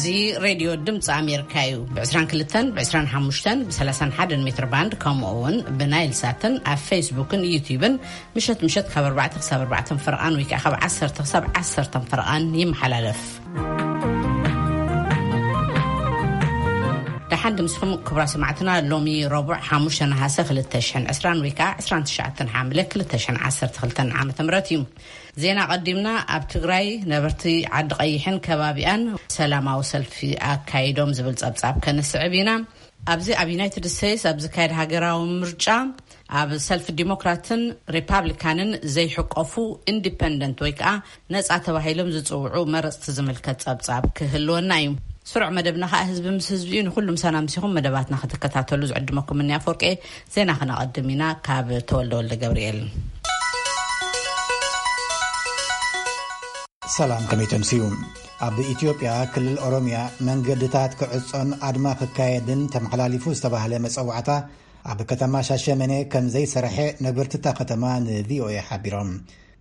እዚ ሬድዮ ድምፂ ኣሜሪካ እዩ። ብ22፣ ብ25፣ ብ31 ሜትር ባንድ፣ ከምኡ እውን ብናይል ሳትን ኣብ ፌስቡክን ዩቲዩብን ምሸት ምሸት ካብ ኣርባዕተ ክሳብ ኣርባዕተ ፈርቓን ወይ ከዓ ካብ ዓሰርተ ክሳብ ዓሰርተ ፈርቓን ይመሓላለፍ። ደሓን ድምስኹም ክቡራ ሰማዕትና። ሎሚ ረቡዕ ሓሙሽተ ነሃሰ ክልተ ሽሕን ዕስራን ወይ ከዓ ዕስራን ትሽዓተን ሓምለ ክልተ ሽሕን ዓሰርተ ክልተን ዓመተ ምህረት እዩ። ዜና ቀዲምና። ኣብ ትግራይ ነበርቲ ዓዲ ቀይሕን ከባቢኣን ሰላማዊ ሰልፊ ኣካይዶም ዝብል ጸብጻብ ከነስዕብ ኢና። ኣብዚ ኣብ ዩናይትድ ስቴትስ ኣብ ዝካየድ ሃገራዊ ምርጫ ኣብ ሰልፊ ዲሞክራትን ሪፓብሊካንን ዘይሕቆፉ ኢንዲፐንደንት ወይ ከዓ ነጻ ተባሂሎም ዝጽውዑ መረጽቲ ዝምልከት ጸብጻብ ክህልወና እዩ። ስሩዕ መደብና ከዓ ህዝቢ ምስ ህዝቢ እዩ። ንኩሉ ምሳና ምሲኹም መደባትና ክትከታተሉ ዝዕድመኩም እኒ ኣፈወርቄ። ዜና ክነቐድም ኢና። ካብ ተወልደ ወልደ ገብርኤል። ሰላም፣ ከመይ ተምስዩ? ኣብ ኢትዮጵያ ክልል ኦሮሚያ መንገድታት ክዕጾን ኣድማ ክካየድን ተመሓላሊፉ ዝተባህለ መጸዋዕታ ኣብ ከተማ ሻሸመኔ ከም ዘይሰርሐ ነበርትታ ከተማ ንቪኦኤ ሓቢሮም።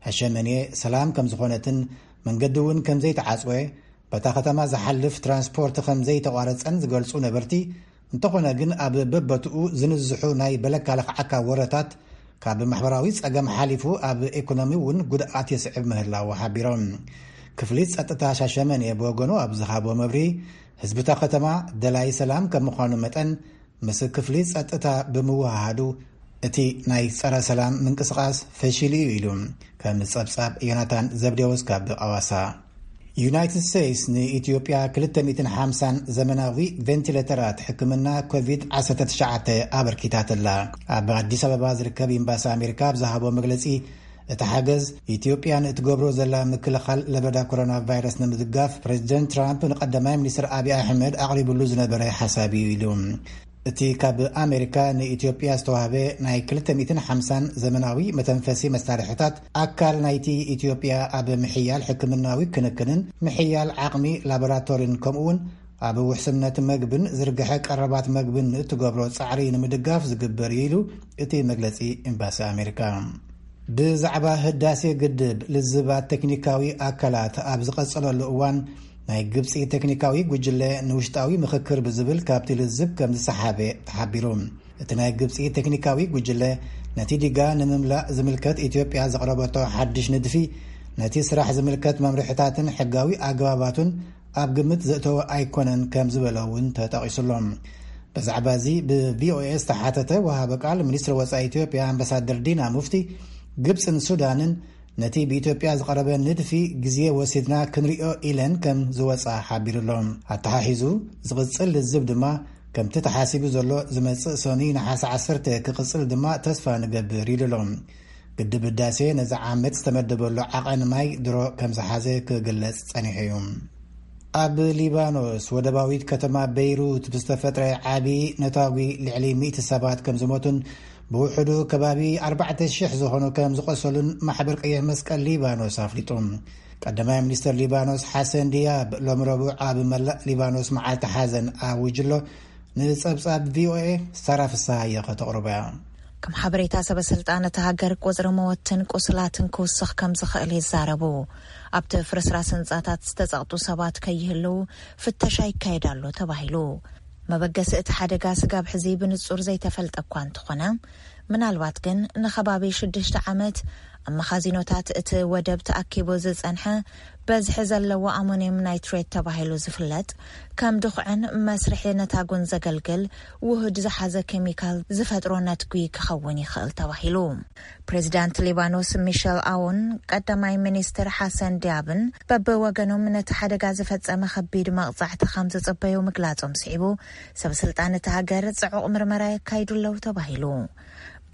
ሻሸመኔ ሰላም ከም ዝኾነትን መንገዲ እውን ከም ዘይተዓጽወ፣ በታ ከተማ ዝሓልፍ ትራንስፖርት ከም ዘይተቋረጸን ዝገልጹ ነበርቲ፣ እንተኾነ ግን ኣብ በበትኡ ዝንዝሑ ናይ በለካ ለኽዓካ ወረታት ካብ ማሕበራዊ ጸገም ሓሊፉ ኣብ ኢኮኖሚ እውን ጉድኣት የስዕብ ምህላው ሓቢሮም። ክፍሊ ጸጥታ ሻሸመኔ ብወገኑ ኣብ ዝሃቦ መብሪ፣ ህዝብታ ከተማ ደላይ ሰላም ከም ምዃኑ መጠን ምስ ክፍሊ ጸጥታ ብምውሃሃዱ እቲ ናይ ጸረ ሰላም ምንቅስቓስ ፈሺሉ እዩ ኢሉ። ከም ጸብጻብ ዮናታን ዘብዴዎስ ካብ ኣዋሳ። ዩናይትድ ስቴትስ ንኢትዮጵያ ክልተ ሚእትን ሓምሳን ዘመናዊ ቬንቲሌተራት ሕክምና ኮቪድ ዓሰርተ ትሽዓተ ኣበርኪታትላ። ኣብ ኣዲስ ኣበባ ዝርከብ ኤምባሲ ኣሜሪካ ኣብ ዝሃቦ መግለጺ፣ እቲ ሓገዝ ኢትዮጵያ ንእትገብሮ ዘላ ምክልኻል ለበዳ ኮሮና ቫይረስ ንምድጋፍ ፕሬዚደንት ትራምፕ ንቀዳማይ ሚኒስትር ኣብይ ኣሕመድ ኣቕሪብሉ ዝነበረ ሓሳብ እዩ ኢሉ። እቲ ካብ ኣሜሪካ ንኢትዮጵያ ዝተዋህበ ናይ ክልተ ሚእትን ሓምሳን ዘመናዊ መተንፈሲ መሳርሕታት ኣካል ናይቲ ኢትዮጵያ ኣብ ምሕያል ሕክምናዊ ክንክንን ምሕያል ዓቕሚ ላቦራቶሪን ከምኡውን ኣብ ውሕስነት መግብን ዝርግሐ ቀረባት መግብን ንእትገብሮ ጻዕሪ ንምድጋፍ ዝግበር እዩ ኢሉ እቲ መግለጺ ኤምባሲ ኣሜሪካ። ብዛዕባ ህዳሴ ግድብ ልዝባት ቴክኒካዊ ኣካላት ኣብ ዝቐጸለሉ እዋን ናይ ግብጺ ቴክኒካዊ ጉጅለ ንውሽጣዊ ምኽክር ብዝብል ካብቲ ልዝብ ከም ዝሰሓበ ተሓቢሩ። እቲ ናይ ግብጺ ቴክኒካዊ ጉጅለ ነቲ ዲጋ ንምምላእ ዝምልከት ኢትዮጵያ ዘቕረበቶ ሓድሽ ንድፊ ነቲ ስራሕ ዝምልከት መምርሕታትን ሕጋዊ ኣገባባቱን ኣብ ግምት ዘእተወ ኣይኮነን ከም ዝበለ እውን ተጠቒሱሎም። ብዛዕባ እዚ ብቪኦኤ ዝተሓተተ ወሃቢ ቃል ሚኒስትሪ ወጻኢ ኢትዮጵያ ኣምባሳደር ዲና ሙፍቲ፣ ግብጽን ሱዳንን ነቲ ብኢትዮጵያ ዝቐረበ ንድፊ ግዜ ወሲድና ክንሪኦ ኢለን ከም ዝወጻ ሓቢሩሎም። ኣተሓሒዙ ዝቕጽል ልዝብ ድማ ከምቲ ተሓሲቡ ዘሎ ዝመጽእ ሰኑይ ነሓሰ ዓሰርተ ክቕጽል ድማ ተስፋ ንገብር ኢሉሎም። ግድብ ህዳሴ ነዚ ዓመት ዝተመደበሉ ዓቐን ማይ ድሮ ከም ዝሓዘ ክግለጽ ጸኒሑ እዩ። ኣብ ሊባኖስ ወደባዊት ከተማ በይሩት ብዝተፈጥረ ዓቢ ነታጒ ልዕሊ ሚእቲ ሰባት ከም ዝሞቱን ብውሕዱ ከባቢ ኣርባዕተ ሽሕ ዝኾኑ ከም ዝቆሰሉን ማሕበር ቀይሕ መስቀል ሊባኖስ ኣፍሊጡ። ቀዳማይ ሚኒስተር ሊባኖስ ሓሰን ዲያብ ሎም ረቡዕ ኣብ መላእ ሊባኖስ መዓልቲ ሓዘን ኣዊጅሎ። ንጸብጻብ ቪኦኤ ሳራ ፍስሃየ ከተቕርቦ እያ። ከም ሓበሬታ ሰበ ስልጣን እቲ ሃገር ቁጽሪ መወትን ቁስላትን ክውስኽ ከም ዝኽእል ይዛረቡ። ኣብቲ ፍርስራስ ህንጻታት ዝተጸቕጡ ሰባት ከይህልው ፍተሻ ይካየድ ኣሎ ተባሂሉ። መበገሲ እቲ ሓደጋ ስጋብ ሕዚ ብንጹር ዘይተፈልጠ እኳ እንተኾነ፣ ምናልባት ግን ንኸባቢ ሽዱሽተ ዓመት ኣብ መኻዚኖታት እቲ ወደብ ተኣኪቡ ዝጸንሐ በዝሒ ዘለዎ ኣሞኒየም ናይትሬት ተባሂሉ ዝፍለጥ ከም ድኹዕን መስርሒ ነታጉን ዘገልግል ውሁድ ዝሓዘ ኬሚካል ዝፈጥሮ ነትጒ ክኸውን ይኽእል ተባሂሉ። ፕሬዚዳንት ሊባኖስ ሚሸል ኣውን ቀዳማይ ሚኒስትር ሓሰን ዲያብን በብወገኖም ነቲ ሓደጋ ዝፈጸመ ከቢድ መቕጻዕቲ ከም ዝጽበዩ ምግላጾም ስዒቡ፣ ሰብ ስልጣን እቲ ሃገር ጽዑቕ ምርመራ የካይዱ ኣለዉ ተባሂሉ።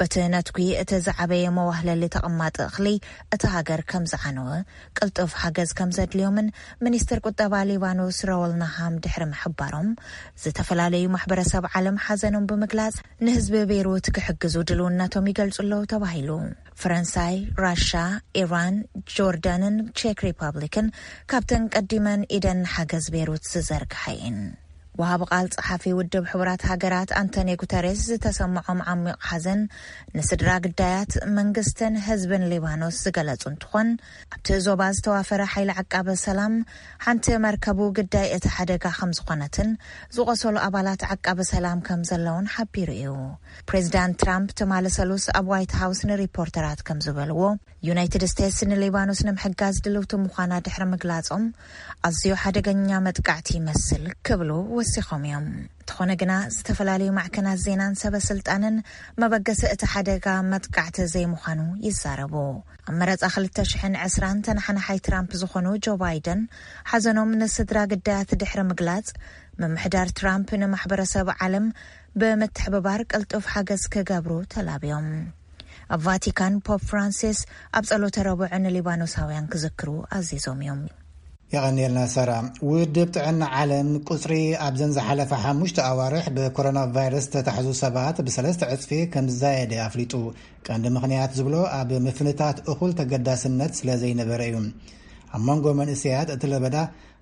በቲ ነትጒ እቲ ዝዓበየ መዋህለሊ ተቐማጢ እኽሊ እቲ ሃገር ከም ዝዓነወ፣ ቅልጡፍ ሓገዝ ከም ዘድልዮምን ሚኒስትር ቁጠባ ሊባኖስ ረወል ናሃም ድሕሪ ምሕባሮም፣ ዝተፈላለዩ ማሕበረሰብ ዓለም ሓዘኖም ብምግላጽ ንህዝቢ ቤይሩት ክሕግዙ ድልውነቶም ይገልጹ ኣለዉ ተባሂሉ። ፈረንሳይ፣ ራሻ፣ ኢራን፣ ጆርዳንን ቼክ ሪፐብሊክን ካብተን ቀዲመን ኢደን ሓገዝ ቤይሩት ዝዘርግሓ እየን። ወሃቢ ቃል ጸሓፊ ውድብ ሕቡራት ሃገራት ኣንቶኒዮ ጉተሬስ ዝተሰምዖም ዓሚቕ ሓዘን ንስድራ ግዳያት፣ መንግስትን ህዝብን ሊባኖስ ዝገለጹ እንትኾን፣ ኣብቲ ዞባ ዝተዋፈረ ሓይሊ ዓቃቢ ሰላም ሓንቲ መርከቡ ግዳይ እቲ ሓደጋ ከም ዝኾነትን ዝቖሰሉ ኣባላት ዓቃቢ ሰላም ከም ዘለውን ሓቢሩ እዩ። ፕሬዚዳንት ትራምፕ ትማሊ ሰሉስ ኣብ ዋይት ሃውስ ንሪፖርተራት ከም ዝበልዎ፣ ዩናይትድ ስቴትስ ንሊባኖስ ንምሕጋዝ ድልውቲ ምዃና ድሕሪ ምግላጾም፣ ኣዝዩ ሓደገኛ መጥቃዕቲ ይመስል ክብሉ ወሲኾም እዮም። እንተኾነ ግና፣ ዝተፈላለዩ ማዕከናት ዜናን ሰበ ስልጣንን መበገሲ እቲ ሓደጋ መጥቃዕቲ ዘይምዃኑ ይዛረቡ። ኣብ መረጻ ክልተ ሽሕን ዕስራን ተናሓናሓይ ትራምፕ ዝኾኑ ጆ ባይደን፣ ሓዘኖም ንስድራ ግዳያት ድሕሪ ምግላጽ፣ ምምሕዳር ትራምፕ ንማሕበረሰብ ዓለም ብምትሕብባር ቅልጡፍ ሓገዝ ክገብሩ ተላብዮም። ኣብ ቫቲካን፣ ፖፕ ፍራንሲስ ኣብ ጸሎተ ረቡዕ ንሊባኖሳውያን ክዝክሩ ኣዚዞም እዮም። የቐንየልና ሰራ። ውድብ ጥዕና ዓለም ቁጽሪ ኣብዘን ዝሓለፈ ሓሙሽተ ኣዋርሕ ብኮሮና ቫይረስ ዝተታሕዙ ሰባት ብሰለስተ ዕጽፊ ከም ዝዛየደ ኣፍሊጡ። ቀንዲ ምኽንያት ዝብሎ ኣብ ምፍንታት እኹል ተገዳስነት ስለ ዘይነበረ እዩ። ኣብ መንጎ መንእሰያት እቲ ለበዳ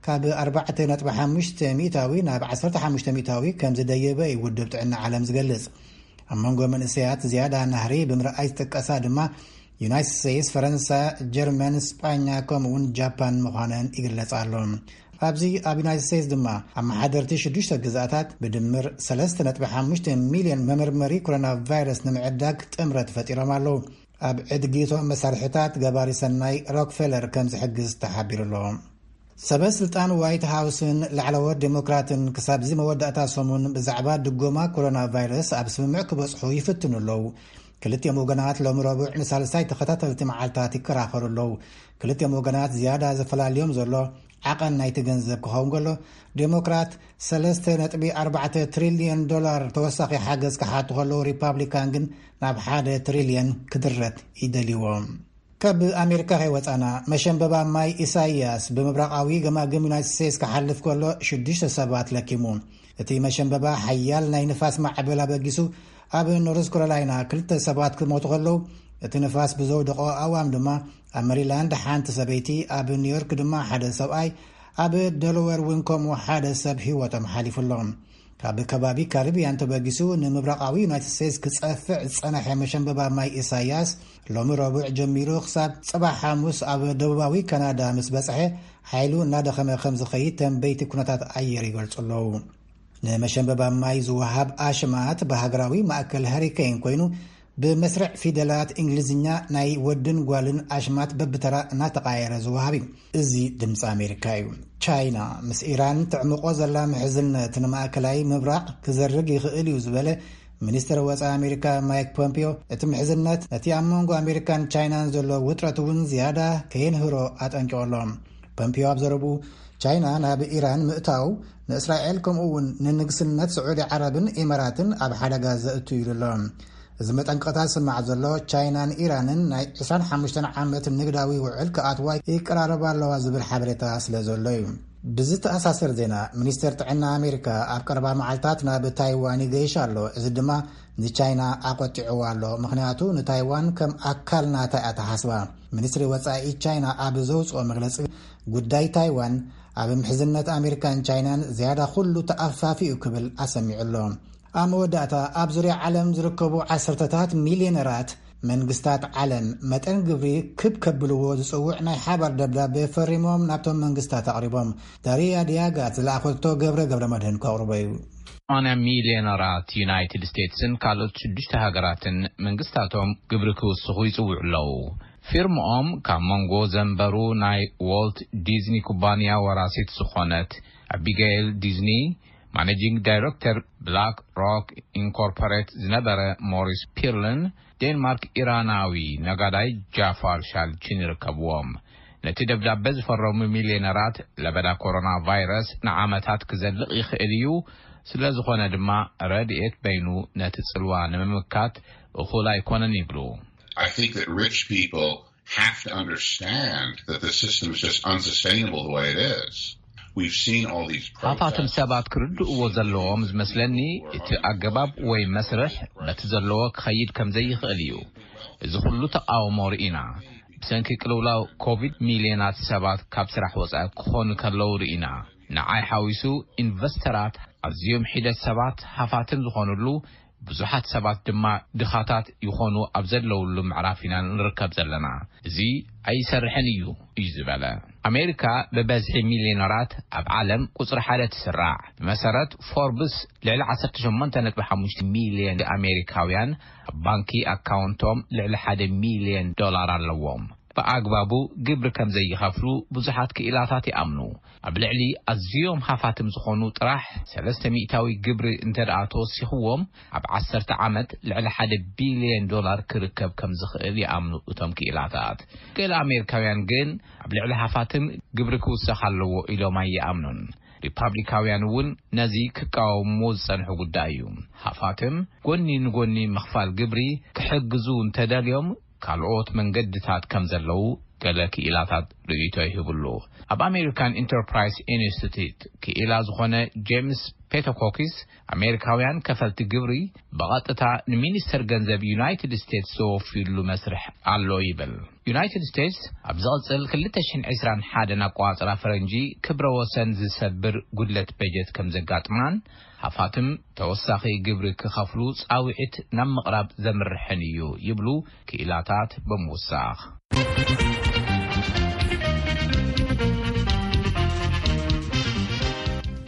ካብ ኣርባዕተ ነጥቢ ሓሙሽተ ሚእታዊ ናብ ዓሰርተ ሓሙሽተ ሚእታዊ ከም ዝደየበ እዩ ውድብ ጥዕና ዓለም ዝገልጽ። ኣብ መንጎ መንእሰያት ዝያዳ ናህሪ ብምርኣይ ዝጥቀሳ ድማ ዩናይትድ ስቴትስ፣ ፈረንሳ፣ ጀርመን፣ ስጳኛ ከምኡውን ጃፓን ምዃነን ይግለጽ ኣሎ። ኣብዚ ኣብ ዩናይትድ ስቴትስ ድማ ኣመሓደርቲ ሽዱሽተ ግዛኣታት ብድምር ሰለስተ ነጥቢ ሓሙሽተ ሚልዮን መመርመሪ ኮሮና ቫይረስ ንምዕዳግ ጥምረት ፈጢሮም ኣለዉ። ኣብ ዕድጊቶም መሳርሕታት ገባሪ ሰናይ ሮክፌለር ከም ዝሕግዝ ተሓቢሩ ኣሎ። ሰበ ስልጣን ዋይት ሃውስን ላዕለዎት ዴሞክራትን ክሳብ እዚ መወዳእታ ሰሙን ብዛዕባ ድጎማ ኮሮና ቫይረስ ኣብ ስምምዕ ክበጽሑ ይፍትኑ ኣለዉ። ክልቲኦም ወገናት ሎሚ ረቡዕ ንሳልሳይ ተኸታተልቲ መዓልታት ይከራኸሩ ኣለዉ። ክልቲኦም ወገናት ዝያዳ ዘፈላልዮም ዘሎ ዓቐን ናይቲ ገንዘብ ክኸውን ከሎ፣ ዴሞክራት ሰለስተ ነጥቢ ኣርባዕተ ትሪልዮን ዶላር ተወሳኺ ሓገዝ ክሓቱ ከለዉ፣ ሪፓብሊካን ግን ናብ ሓደ ትሪልዮን ክድረት ይደልይዎ። ካብ ኣሜሪካ ከይወጻና፣ መሸንበባ ማይ ኢሳይያስ ብምብራቓዊ ገማግም ዩናይትድ ስቴትስ ክሓልፍ ከሎ ሽዱሽተ ሰባት ለኪሙ። እቲ መሸንበባ ሓያል ናይ ንፋስ ማዕበል ኣበጊሱ ኣብ ኖርዝ ካሮላይና ክልተ ሰባት ክሞቱ ከለዉ፣ እቲ ንፋስ ብዘውደቖ ኣዋም ድማ ኣብ መሪላንድ ሓንቲ ሰበይቲ፣ ኣብ ኒውዮርክ ድማ ሓደ ሰብኣይ፣ ኣብ ደለወር እውን ከምኡ ሓደ ሰብ ህይወቶም ሓሊፉ ኣሎ። ካብ ከባቢ ካሪብያን ተበጊሱ ንምብራቓዊ ዩናይትድ ስቴትስ ክጸፍዕ ዝጸነሐ መሸንበባ ማይ ኢሳያስ ሎሚ ረቡዕ ጀሚሩ ክሳብ ጽባሕ ሓሙስ ኣብ ደቡባዊ ካናዳ ምስ በጽሐ ሓይሉ እናደኸመ ከም ዝኸይድ ተንበይቲ ኩነታት ኣየር ይገልጹ ኣለዉ። ንመሸንበባ ማይ ዝወሃብ ኣሽማት ብሃገራዊ ማእከል ሃሪኬን ኮይኑ ብመስርዕ ፊደላት እንግሊዝኛ ናይ ወድን ጓልን ኣሽማት በብተራ እናተቓየረ ዝወሃብ እዩ። እዚ ድምፂ ኣሜሪካ እዩ። ቻይና ምስ ኢራን ትዕምቆ ዘላ ምሕዝነት ንማእከላይ ምብራቕ ክዘርግ ይኽእል እዩ ዝበለ ሚኒስትር ወፃኢ ኣሜሪካ ማይክ ፖምፒዮ፣ እቲ ምሕዝነት ነቲ ኣብ መንጎ ኣሜሪካን ቻይናን ዘሎ ውጥረት እውን ዝያዳ ከየንህሮ ኣጠንቂቑ ኣሎ። ፖምፒዮ ኣብ ዘረብኡ፣ ቻይና ናብ ኢራን ምእታው ንእስራኤል ከምኡ እውን ንንግስነት ስዑዲ ዓረብን ኢማራትን ኣብ ሓደጋ ዘእቱ ኢሉ ኣሎ። እዚ መጠንቀቕታ ዝስማዕ ዘሎ፣ ቻይናን ኢራንን ናይ ዕስራን ሓሙሽተን ዓመት ንግዳዊ ውዕል ክኣትዋ ይቀራረባ ኣለዋ ዝብል ሓበሬታ ስለ ዘሎ እዩ። ብዝተኣሳሰር ዜና፣ ሚኒስተር ጥዕና ኣሜሪካ ኣብ ቀረባ መዓልታት ናብ ታይዋን ይገይሽ ኣሎ። እዚ ድማ ንቻይና ኣቆጢዕዋ ኣሎ። ምኽንያቱ ንታይዋን ከም ኣካል ናታ እያ ተሓስባ። ሚኒስትሪ ወጻኢ ቻይና ኣብ ዘውጽኦ መግለጺ፣ ጉዳይ ታይዋን ኣብ ምሕዝነት ኣሜሪካን ቻይናን ዝያዳ ኩሉ ተኣፋፊ እዩ ክብል ኣሰሚዑ ኣሎ። ኣብ መወዳእታ፣ ኣብ ዙርያ ዓለም ዝርከቡ ዓሰርተታት ሚልዮነራት መንግስታት ዓለም መጠን ግብሪ ክብ ከብልዎ ዝጽውዕ ናይ ሓባር ደብዳቤ ፈሪሞም ናብቶም መንግስታት ኣቕሪቦም። ዳሪያ ዲያጋት ዝለኣኸቶ ገብረ ገብረ መድህን ከቕርቦ እዩ። ሰማንያ ሚልዮነራት ዩናይትድ ስቴትስን ካልኦት ሽዱሽተ ሃገራትን መንግስታቶም ግብሪ ክውስኹ ይጽውዑ ኣለዉ። ፊርምኦም ካብ መንጎ ዘንበሩ ናይ ዎልት ዲዝኒ ኩባንያ ወራሲት ዝኾነት ኣቢጋይል ዲዝኒ፣ ማኔጂንግ ዳይረክተር ብላክ ሮክ ኢንኮርፖሬት ዝነበረ ሞሪስ ፒርልን ዴንማርክ ኢራናዊ ነጋዳይ ጃፋር ሻልቺን ይርከብዎም። ነቲ ደብዳበ ዝፈረሙ ሚልዮነራት፣ ለበዳ ኮሮና ቫይረስ ንዓመታት ክዘልቕ ይኽእል እዩ፣ ስለ ዝኾነ ድማ ረድኤት በይኑ ነቲ ጽልዋ ንምምካት እኹል ኣይኮነን ይብሉ። I think that rich people have to understand that the system is just unsustainable the way it is. We've seen all these ሃፋትም protests. ሰባት ክርድእዎ ዘለዎም ዝመስለኒ፣ እቲ ኣገባብ ወይ መስርሕ በቲ ዘለዎ ክኸይድ ከም ዘይኽእል እዩ። እዚ ኩሉ ተቃውሞ ርኢና። ብሰንኪ ቅልውላው ኮቪድ ሚልዮናት ሰባት ካብ ስራሕ ወጻኢ ክኾኑ ከለዉ ርኢና። ንዓይ ሓዊሱ ኢንቨስተራት ኣዝዮም ሒደት ሰባት ሃፋትም ዝኾኑሉ፣ ብዙሓት ሰባት ድማ ድኻታት ይኾኑ ኣብ ዘለውሉ ምዕራፍ ኢና ንርከብ ዘለና። እዚ ኣይሰርሕን እዩ እዩ ዝበለ። ኣሜሪካ ብበዝሒ ሚልዮነራት ኣብ ዓለም ቁጽሪ ሓደ ትስራዕ። ብመሰረት ፎርብስ፣ ልዕሊ ዓሰርተ ሸሞንተ ነጥቢ ሓሙሽተ ሚልዮን ኣሜሪካውያን ኣብ ባንኪ ኣካውንቶም ልዕሊ ሓደ ሚልዮን ዶላር ኣለዎም። ብኣግባቡ ግብሪ ከም ዘይኸፍሉ ብዙሓት ክኢላታት ይኣምኑ። ኣብ ልዕሊ ኣዝዮም ሃፋትም ዝኾኑ ጥራሕ ሰለስተ ሚእታዊ ግብሪ እንተ ደኣ ተወሲኽዎም፣ ኣብ ዓሰርተ ዓመት ልዕሊ ሓደ ቢልዮን ዶላር ክርከብ ከም ዝኽእል ይኣምኑ እቶም ክኢላታት። ገለ ኣሜሪካውያን ግን ኣብ ልዕሊ ሃፋትም ግብሪ ክውሰኽ ኣለዎ ኢሎም ኣይኣምኑን። ሪፓብሊካውያን እውን ነዚ ክቃወምዎ ዝጸንሑ ጉዳይ እዩ። ሃፋትም ጎኒ ንጎኒ ምኽፋል ግብሪ ክሕግዙ እንተደልዮም፣ ካልኦት መንገድታት ከም ዘለዉ ገለ ክኢላታት ርእይቶ ይህብሉ። ኣብ ኣሜሪካን ኢንተርፕራይስ ኢንስቲትዩት ክኢላ ዝኾነ ጄምስ ፔቶኮኪስ፣ ኣሜሪካውያን ከፈልቲ ግብሪ ብቐጥታ ንሚኒስተር ገንዘብ ዩናይትድ ስቴትስ ዘወፍዩሉ መስርሕ ኣሎ ይብል። ዩናይትድ ስቴትስ ኣብ ዝቕጽል ክልተ ሽሕን ዕስራን ሓደን ኣቆጻጽራ ፈረንጂ ክብረ ወሰን ዝሰብር ጉድለት በጀት ከም ዘጋጥማን፣ ሃፋትም ተወሳኺ ግብሪ ክኸፍሉ ጻውዒት ናብ ምቕራብ ዘምርሕን እዩ ይብሉ ክኢላታት ብምውሳኽ።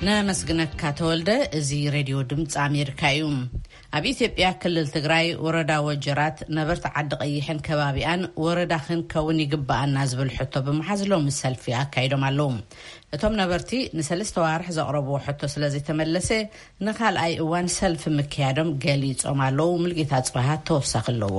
ነመስግነካ ተወልደ። እዚ ሬድዮ ድምፂ ኣሜሪካ እዩ። ኣብ ኢትዮጵያ ክልል ትግራይ ወረዳ ወጀራት ነበርቲ ዓዲ ቀይሕን ከባቢኣን ወረዳ ክንከውን ይግባኣና ዝብል ሕቶ ብምሓዝ ሎሚ ሰልፊ ኣካይዶም ኣለዉ። እቶም ነበርቲ ንሰለስተ ዋርሕ ዘቕረብዎ ሕቶ ስለ ዘይተመለሰ ንኻልኣይ እዋን ሰልፊ ምክያዶም ገሊጾም ኣለዉ። ሙልጌታ ጽባሃ ተወሳኺ ኣለዎ።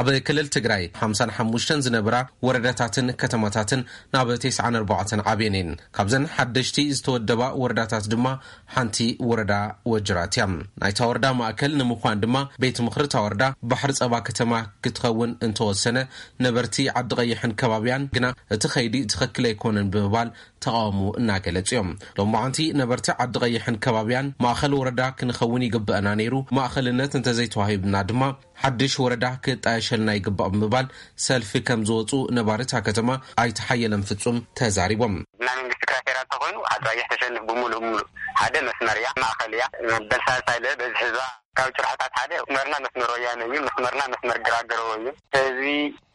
ኣብ ክልል ትግራይ ሓምሳን ሓሙሽተን ዝነብራ ወረዳታትን ከተማታትን ናብ ተስዓን ኣርባዕተን ዓብየን እየን። ካብዘን ሓደሽቲ ዝተወደባ ወረዳታት ድማ ሓንቲ ወረዳ ወጅራት እያ። ናይታ ወረዳ ማእከል ንምዃን ድማ ቤት ምኽሪ እታ ወረዳ ባሕሪ ጸባ ከተማ ክትኸውን እንተወሰነ፣ ነበርቲ ዓዲ ቀይሕን ከባቢያን ግና እቲ ኸይዲ ትኽክል ኣይኮነን ብምባል ተቓውሞ እናገለጹ እዮም። ሎማዓንቲ ነበርቲ ዓዲ ቀይሕን ከባቢያን ማእኸል ወረዳ ክንኸውን ይግበአና ነይሩ፣ ማእኸልነት እንተዘይተዋሂብና ድማ ሓድሽ ወረዳ ክጣየሸልና ይግባእ ብምባል ሰልፊ ከም ዝወፁ ነባሪ እታ ከተማ ኣይተ ሓየለን ፍፁም ተዛሪቦም። ናይ መንግስቲ ክራይ ፌደራል ተኮይኑ ዓዲ ቀይሕ ተሸንፍ ብሙሉእ ብሙሉእ ሓደ መስመር እያ፣ ማእኸል እያ። መበል ሳልሳይ ለ በዚ ህዝባ ካብ ጭርሖታት ሓደ መስመርና መስመር ወያነ እዩ፣ መስመርና መስመር ግራገረዎ እዩ። ህዝቢ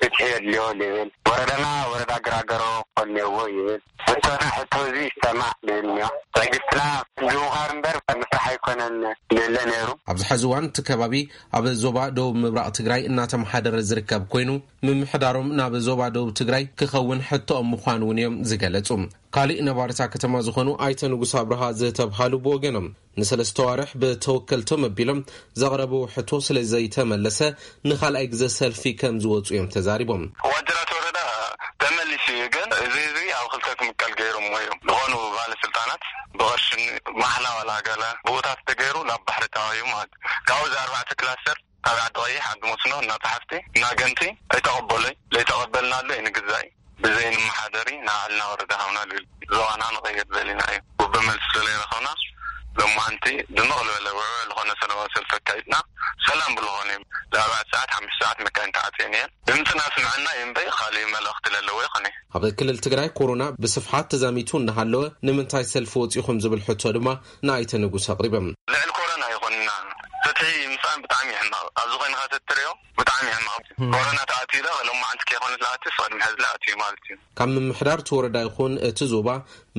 ፍትሒ የድልዮ ይብል። ወረዳና ወረዳ ግራገሮ ክኾን ነዎ ይብል። ሕቶና ሕቶ ህዝቢ ይሰማዕ ይብል እኒኦ። ትዕግስትና ድውኻር እምበር ምስራሕ ኣይኮነን ይብለ ነይሩ። ኣብዚ ሕዚ እዋን እቲ ከባቢ ኣብ ዞባ ደቡብ ምብራቕ ትግራይ እናተመሓደረ ዝርከብ ኮይኑ፣ ምምሕዳሮም ናብ ዞባ ደቡብ ትግራይ ክኸውን ሕቶኦም ምዃኑ እውን እዮም ዝገለጹ። ካሊእ ነባርታ ከተማ ዝኾኑ ኣይተ ንጉስ ኣብርሃ ዝተብሃሉ ብወገኖም፣ ንሰለስተ ዋርሕ ብተወከልቶም ኣቢሎም ዘቕረብዎ ሕቶ ስለ ዘይተመለሰ ንኻልኣይ ግዘ ሰልፊ ከም ዝወፁ እዮም ተዛሪቦም። ዋጅራት ወረዳ ተመሊሱ እዩ፣ ግን እዚ ህዝቢ ኣብ ክልተ ክምቀል ገይሮምዎ እዮም ዝኾኑ ባለስልጣናት። ብቐርሽን ማሕላ ዋላ ገለ ብኡታት ተገይሩ ናብ ባሕሪ ተባሂቡ ማለት እዩ። ካብኡ እዚ ኣርባዕተ ክላስተር ኣብ ዓዲ ቀይሕ፣ ዓዲ መስኖ፣ እና ጸሓፍቲ፣ እና ገንቲ ኣይተቐበሉይ። ዘይተቐበልናሉ ኣይንግዛእ፣ ብዘይንመሓደሪ ንባዕልና ወረዳ ሃብና ልብል። ዞባና ንቐይር ደሊና እዩ። ጉበ መልሲ ስለዘይረኸብና ሎማዓንቲ ድምቕ ዝበለ ውዕውዕ ዝኾነ ሰላማዊ ሰልፊ ኣካይድና። ሰላም ብዝኾነ እዩ። ለኣርባዕተ ሰዓት ሓሙሽተ ሰዓት መካይን ተዓፅየን እየን። ድምፅና ስምዐና እዩ እምበይ ካሊእ መልእኽቲ ለለዎ ይኾነ። ኣብ ክልል ትግራይ ኮሮና ብስፍሓት ተዛሚቱ እናሃለወ ንምንታይ ሰልፊ ወፂኹም ዝብል ሕቶ ድማ ንኣይተ ንጉስ ኣቕሪቦም። ልዕሊ ኮሮና ይኾንና ፍትሒ ምሳን ብጣዕሚ ይሕማቕ። ኣብዚ ኮይንካ ተትሪኦ ብጣዕሚ ይሕማቕ። ኮሮና ተኣትዩ ዶ ሎማዓንቲ ከይኮነ ዝኣትዩ ቅድሚ ሕዚ ዝኣትዩ ማለት እዩ። ካብ ምምሕዳር እቲ ወረዳ ይኹን እቲ ዞባ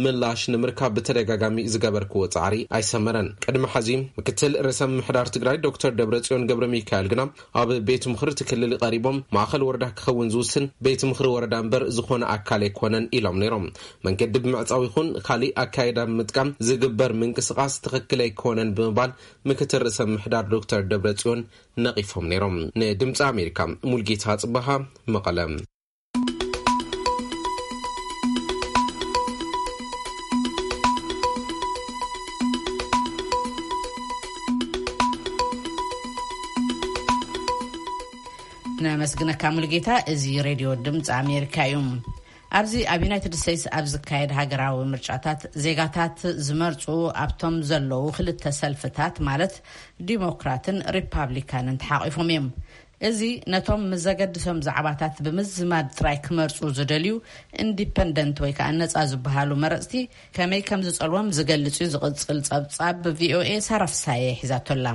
ምላሽ ንምርካብ ብተደጋጋሚ ዝገበርክዎ ጻዕሪ ኣይሰመረን። ቅድሚ ሐዚ ምክትል ርእሰ ምምሕዳር ትግራይ ዶክተር ደብረጽዮን ገብረ ሚካኤል ግና ኣብ ቤት ምኽሪ እቲ ክልል ቀሪቦም ማእኸል ወረዳ ክኸውን ዝውስን ቤት ምኽሪ ወረዳ እምበር ዝኾነ ኣካል ኣይኮነን ኢሎም ነይሮም። መንገዲ ብምዕጻው ይኹን ካሊእ ኣካይዳ ብምጥቃም ዝግበር ምንቅስቓስ ትኽክል ኣይኮነን ብምባል ምክትል ርእሰ ምምሕዳር ዶክተር ደብረጽዮን ነቒፎም ነይሮም። ንድምፂ ኣሜሪካ ሙልጌታ ጽበሃ መቐለ። ነመስግነካ ሙልጌታ። እዚ ሬድዮ ድምፂ ኣሜሪካ እዩ። ኣብዚ ኣብ ዩናይትድ ስቴትስ ኣብ ዝካየድ ሃገራዊ ምርጫታት ዜጋታት ዝመርፁ ኣብቶም ዘለዉ ክልተ ሰልፍታት ማለት ዲሞክራትን ሪፓብሊካንን ተሓቒፎም እዮም። እዚ ነቶም ምስ ዘገድሶም ዛዕባታት ብምዝማድ ጥራይ ክመርጹ ዝደልዩ ኢንዲፐንደንት ወይ ከዓ ነጻ ዝበሃሉ መረጽቲ ከመይ ከም ዝጸልዎም ዝገልጽ እዩ ዝቕጽል ጸብጻብ። ቪኦኤ ሳራ ፍሳየ ሒዛቶላ።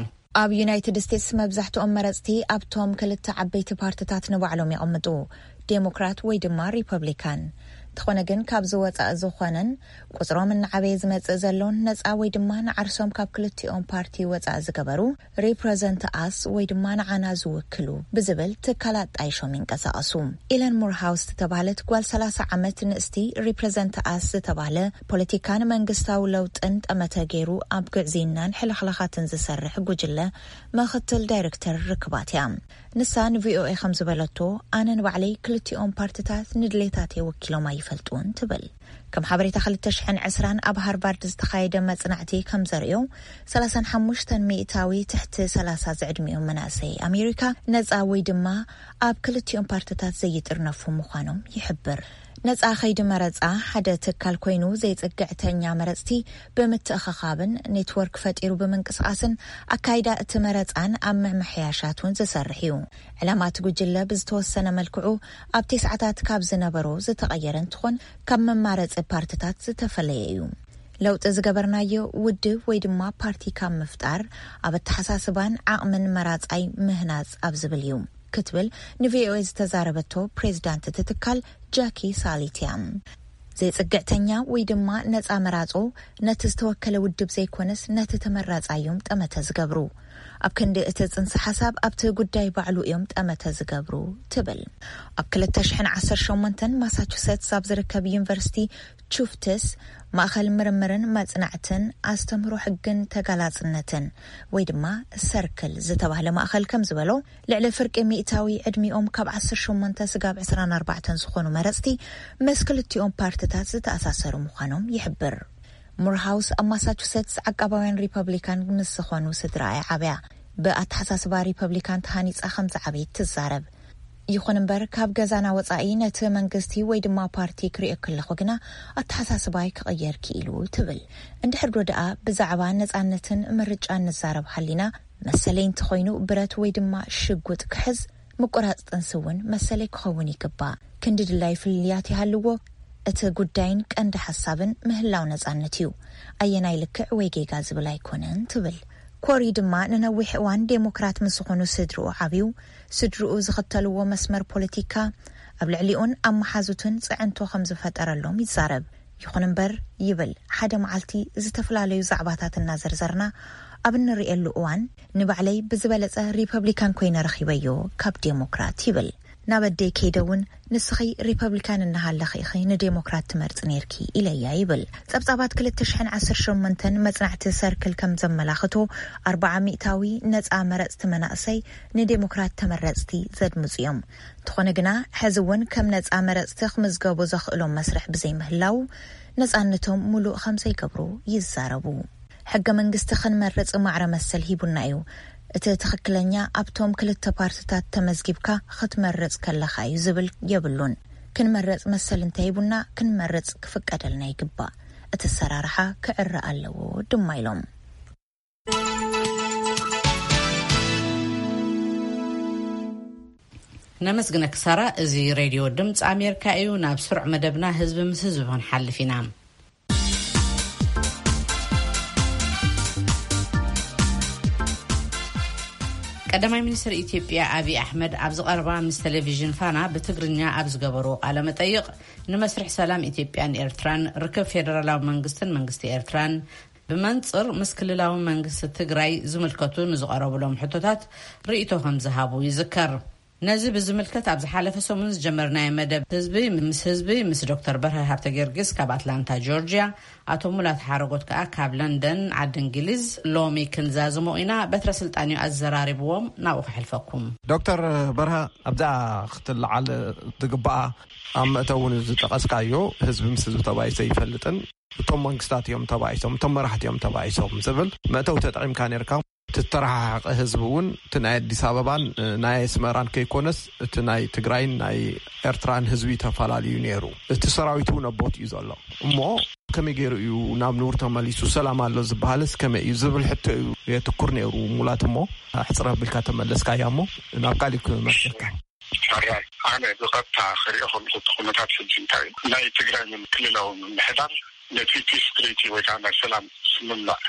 ኣብ ዩናይትድ ስቴትስ መብዛሕትኦም መረጽቲ ኣብቶም ክልተ ዓበይቲ ፓርትታት ንባዕሎም ይቕምጡ፣ ዴሞክራት ወይ ድማ ሪፐብሊካን። እንተኾነ ግን ካብዚ ወጻኢ ዝኾነን ቁጽሮም እናዓበየ ዝመጽእ ዘሎን ነጻ ወይ ድማ ንዓርሶም ካብ ክልቲኦም ፓርቲ ወጻኢ ዝገበሩ ሪፕረዘንት ኣስ ወይ ድማ ንዓና ዝውክሉ ብዝብል ትካላት ጣይሾም ይንቀሳቐሱ። ኢለን ሙርሃውስ ዝተባህለት ጓል ሰላሳ ዓመት ንእስቲ ሪፕረዘንት ኣስ ዝተባህለ ፖለቲካን መንግስታዊ ለውጥን ጠመተ ገይሩ ኣብ ግዕዝይናን ሕልኽላኻትን ዝሰርሕ ጉጅለ ምኽትል ዳይሬክተር ርክባት እያ። ንሳ ንቪኦኤ ከም ዝበለቶ፣ ኣነ ንባዕለይ ክልቲኦም ፓርትታት ንድሌታተይ ወኪሎም ኣይፈልጡን ትብል። ከም ሓበሬታ ክልተ ሽሕን ዕስራን ኣብ ሃርቫርድ ዝተኻየደ መጽናዕቲ ከም ዘርእዮ፣ ሰላሳን ሓሙሽተን ሚእታዊ ትሕቲ ሰላሳ ዝዕድሚኦም መናእሰይ ኣሜሪካ ነጻ ወይ ድማ ኣብ ክልቲኦም ፓርትታት ዘይጥርነፉ ምዃኖም ይሕብር። ነጻ ከይዲ መረጻ ሓደ ትካል ኮይኑ፣ ዘይጽግዕተኛ መረጽቲ ብምትእኽኻብን ኔትወርክ ፈጢሩ ብምንቅስቓስን ኣካይዳ እቲ መረጻን ኣብ ምምሕያሻት እውን ዝሰርሕ እዩ። ዕላማ እቲ ጉጅለ ብዝተወሰነ መልክዑ ኣብ ቴስዓታት ካብ ዝነበሮ ዝተቐየረ እንትኾን፣ ካብ መማረጺ ፓርትታት ዝተፈለየ እዩ። ለውጢ ዝገበርናዮ ውድብ ወይ ድማ ፓርቲ ካብ ምፍጣር፣ ኣብ ኣተሓሳስባን ዓቕምን መራጻይ ምህናጽ ኣብ ዝብል እዩ ክትብል ንቪኦኤ ዝተዛረበቶ ፕሬዚዳንት እቲ ትካል ጃኪ ሳሊት እያ። ዘይጽግዕተኛ ወይ ድማ ነጻ መራጾ ነቲ ዝተወከለ ውድብ ዘይኮነስ ነቲ ተመራጻይ እዮም ጠመተ ዝገብሩ። ኣብ ክንዲ እቲ ጽንሰ ሓሳብ ኣብቲ ጉዳይ ባዕሉ እዮም ጠመተ ዝገብሩ ትብል። ኣብ ክልተ ሽሕን ዓሰርተ ሸሞንተን ማሳቹሴትስ ኣብ ዝርከብ ዩኒቨርሲቲ ቹፍትስ ማእኸል ምርምርን መጽናዕትን ኣስተምህሮ ሕግን ተጋላጽነትን ወይ ድማ ሰርክል ዝተባህለ ማእኸል ከም ዝበሎ፣ ልዕሊ ፍርቂ ሚእታዊ ዕድሚኦም ካብ ዓሰርተ ሸሞንተ ስጋብ ዕስራን ኣርባዕተን ዝኾኑ መረጽቲ ምስ ክልቲኦም ፓርትታት ዝተኣሳሰሩ ምዃኖም ይሕብር። ሙርሃውስ ኣብ ማሳቹሴትስ ዓቃባውያን ሪፐብሊካን ምስ ዝኾኑ ስድራ እያ ዓብያ። ብኣተሓሳስባ ሪፐብሊካን ተሃኒጻ ከም ዝዓበየት ትዛረብ። ይኹን እምበር፣ ካብ ገዛና ወጻኢ ነቲ መንግስቲ ወይ ድማ ፓርቲ ክሪኦ ከለኹ ግና ኣተሓሳስባይ ክቕየር ክኢሉ ትብል። እንድሕር ዶ ደኣ ብዛዕባ ነጻነትን ምርጫን ንዛረብ ሃሊና፣ መሰለይ እንተኾይኑ ብረት ወይ ድማ ሽጉጥ ክሕዝ፣ ምቁራጽ ጥንሲ እውን መሰለይ ክኸውን ይግባእ። ክንዲ ድላይ ፍልልያት ይሃልዎ፣ እቲ ጉዳይን ቀንዲ ሓሳብን ምህላው ነጻነት እዩ። ኣየናይ ልክዕ ወይ ጌጋ ዝብል ኣይኮነን ትብል። ኮሪ ድማ ንነዊሕ እዋን ዴሞክራት ምስ ዝኾኑ ስድርኡ ዓብዩ፣ ስድርኡ ዝኽተልዎ መስመር ፖለቲካ ኣብ ልዕሊኡን ኣብ መሓዙቱን ጽዕንቶ ከም ዝፈጠረሎም ይዛረብ። ይኹን እምበር፣ ይብል፣ ሓደ መዓልቲ ዝተፈላለዩ ዛዕባታት እናዘርዘርና ኣብ እንርእየሉ እዋን፣ ንባዕለይ ብዝበለጸ ሪፐብሊካን ኮይነ ረኺበዮ ካብ ዴሞክራት፣ ይብል። ናብ ኣደይ ከይደ እውን፣ ንስኺ ሪፐብሊካን እናሃለኺ ኢኺ ንዴሞክራት ትመርጺ ነይርኪ ኢለያ፣ ይብል። ጸብጻባት ክልተ ሽሕን ዓሰርተ ሸሞንተን መጽናዕቲ ሰርክል ከም ዘመላኽቶ፣ ኣርብዓ ሚእታዊ ነጻ መረጽቲ መናእሰይ ንዴሞክራት ተመረጽቲ ዘድምጹ እዮም። እንተኾነ ግና፣ ሕዚ እውን ከም ነጻ መረጽቲ ክምዝገቡ ዘኽእሎም መስርሕ ብዘይምህላው፣ ነጻነቶም ሙሉእ ከም ዘይገብሩ ይዛረቡ። ሕገ መንግስቲ ክንመርጽ ማዕረ መሰል ሂቡና እዩ። እቲ ትኽክለኛ ኣብቶም ክልተ ፓርትታት ተመዝጊብካ ክትመርጽ ከለኻ እዩ ዝብል የብሉን። ክንመርጽ መሰል እንተሂቡና ክንመርጽ ክፍቀደልና ይግባእ። እቲ ኣሰራርሓ ክዕረ ኣለዎ ድማ ኢሎም። ነመስግነኪ ሳራ። እዚ ሬድዮ ድምፂ ኣሜሪካ እዩ። ናብ ስሩዕ መደብና ህዝቢ ምስ ህዝቢ ክንሓልፍ ኢና። ቀዳማይ ሚኒስትር ኢትዮጵያ ኣብይ ኣሕመድ ኣብዚ ቀረባ ምስ ቴሌቪዥን ፋና ብትግርኛ ኣብ ዝገበርዎ ቃለ መጠይቕ፣ ንመስርሕ ሰላም ኢትዮጵያን ኤርትራን፣ ርክብ ፌደራላዊ መንግስትን መንግስቲ ኤርትራን፣ ብመንጽር ምስ ክልላዊ መንግስቲ ትግራይ ዝምልከቱ ንዝቐረቡሎም ሕቶታት ርእይቶ ከም ዝሃቡ ይዝከር። ነዚ ብዝምልከት ኣብ ዝሓለፈ ሰሙን ዝጀመርናዮ መደብ ህዝቢ ምስ ህዝቢ ምስ ዶክተር በርሀ ሃብተ ጊዮርጊስ ካብ ኣትላንታ ጆርጅያ፣ ኣቶ ሙላት ሓረጎት ከኣ ካብ ለንደን ዓዲ እንግሊዝ ሎሚ ክንዛዝሞ ኢና። በትረ ስልጣን እዩ ኣዘራሪብዎም፣ ናብኡ ከሕልፈኩም። ዶክተር በርሀ፣ ኣብዛ ክትለዓል ትግባኣ ኣብ መእተዊ ዝጠቐስካዮ ህዝቢ ምስ ህዝቢ ተባኢሱ ኣይፈልጥን፣ እቶም መንግስታት እዮም ተባኢሶም፣ እቶም መራሕቲ እዮም ተባኢሶም ዝብል መእተዊ ተጠቒምካ ነርካ። ዝተረሓሓቐ ህዝቢ እውን፣ እቲ ናይ ኣዲስ ኣበባን ናይ ኣስመራን ከይኮነስ፣ እቲ ናይ ትግራይን ናይ ኤርትራን ህዝቢ ተፈላለዩ ነይሩ። እቲ ሰራዊት እውን ኣብ ቦትኡ እዩ ዘሎ። እሞ ከመይ ገይሩ እዩ ናብ ንቡር ተመሊሱ? ሰላም ኣሎ ዝበሃልስ ከመይ እዩ ዝብል ሕቶ እዩ የትኩር ነይሩ ሙላት። እሞ ሕጽር ኣቢልካ ተመለስካያ፣ እሞ ናብ ካሊእ ክመልሰካ። ሕራይ፣ ኣነ ብቐጥታ ክሪኦ ከለኹ፣ እቲ ኩነታት ሕጂ እንታይ እዩ? ናይ ትግራይ ክልላዊ ምምሕዳር ነቲ ፒስ ትሪቲ ወይ ከዓ ናይ ሰላም ስምምዕ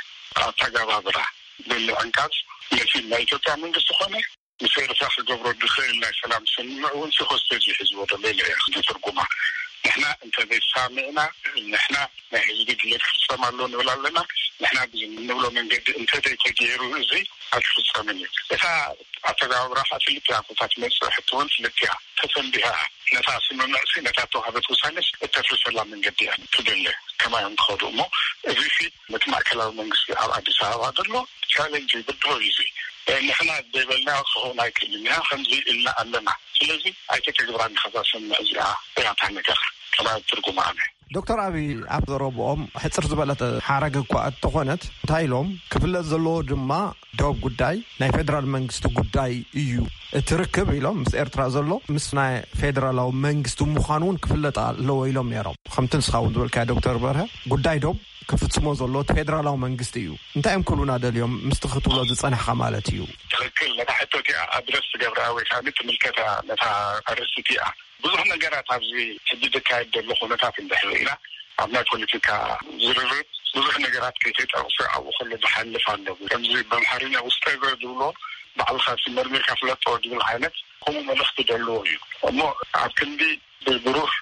ኣተገባብራ ብምዕንቃጽ፣ ነቲ ናይ ኢትዮጵያ መንግስቲ ኮነ ምስ ኤርትራ ክገብሮ ዝኽእል ናይ ሰላም ስምምዕ እውን ሲ ሆስቴጅ እዩ ሒዝዎ ዘሎ ኢለ እየ ዝትርጉማ። ንሕና እንተዘይሰማሚዕና፣ ንሕና ናይ ህዝቢ ድሌት ክፍጸም ኣሎ ንብል ኣለና። ንሕና ብንብሎ መንገዲ እንተዘይተገይሩ፣ እዚ ኣይክፍጸምን እዩ። እታ ኣተገባብራ ከዓ ክልቲኣ ቦታ ትመጽእ ሕቶ እውን ክልቲኣ ተሰንቢሃ እያ። ነታ ስምምዕሲ፣ ነታ ተዋህበት ውሳኔስ እተፍርሰላ መንገዲ እያ ትደለ። ከማይ እዮም ክኸዱ እሞ፣ እዚሲ ነቲ ማእከላዊ መንግስቲ ኣብ ኣዲስ ኣበባ ዘሎ ቻሌንጅ እዩ፣ ብድሆ እዩ። እዚ ንሕና ዘይበልና ክኸውን ኣይክእልን ኢና፣ ከምዚ ኢልና ኣለና። ስለዚ ኣይተተግብራን ኢኻ እዛ ስምምዕ እዚኣ እያ እታ ነገር። ከማይ ትርጉማ ኣነ። ዶክተር ኣቢ፣ ኣብ ዘረብኦም ሕጽር ዝበለት ሓረግ እኳ እተኾነት፣ እንታይ ኢሎም? ክፍለጥ ዘለዎ ድማ ዶብ ጉዳይ ናይ ፌደራል መንግስቲ ጉዳይ እዩ። እቲ ርክብ ኢሎም ምስ ኤርትራ ዘሎ ምስ ናይ ፌደራላዊ መንግስቲ ምዃኑ እውን ክፍለጥ ኣለዎ ኢሎም ነይሮም። ከምቲ ንስኻ እውን ዝበልካዮ ዶክተር በርሀ፣ ጉዳይ ዶብ ክፍጽሞ ዘሎ እቲ ፌደራላዊ መንግስቲ እዩ። እንታይ እዮም ክብሉና ደልዮም ምስቲ ክትብሎ ዝጸናሕካ ማለት እዩ? ትኽክል። ነታ ሕቶ እቲኣ ኣድረስ ትገብራ ወይ ከዓ ትምልከታ ነታ ኣርእስቲ እቲኣ ብዙሕ ነገራት ኣብዚ ሕጂ ዝካየድ ዘሎ ኩነታት እንድሕር ርኢና፣ ኣብ ናይ ፖለቲካ ዝርርብ ብዙሕ ነገራት ከይተጠቕሰ ኣብኡ ከሎ ዝሓልፍ ኣሎ። ከምዚ ብኣምሓርኛ ውስጠ እግር ዝብሎ፣ ባዕልኻ ሲ መርሚርካ ፍለጦ ዝብል ዓይነት ከምኡ መልእኽቲ ዘለዎ እዩ። እሞ ኣብ ክንዲ ብብሩህ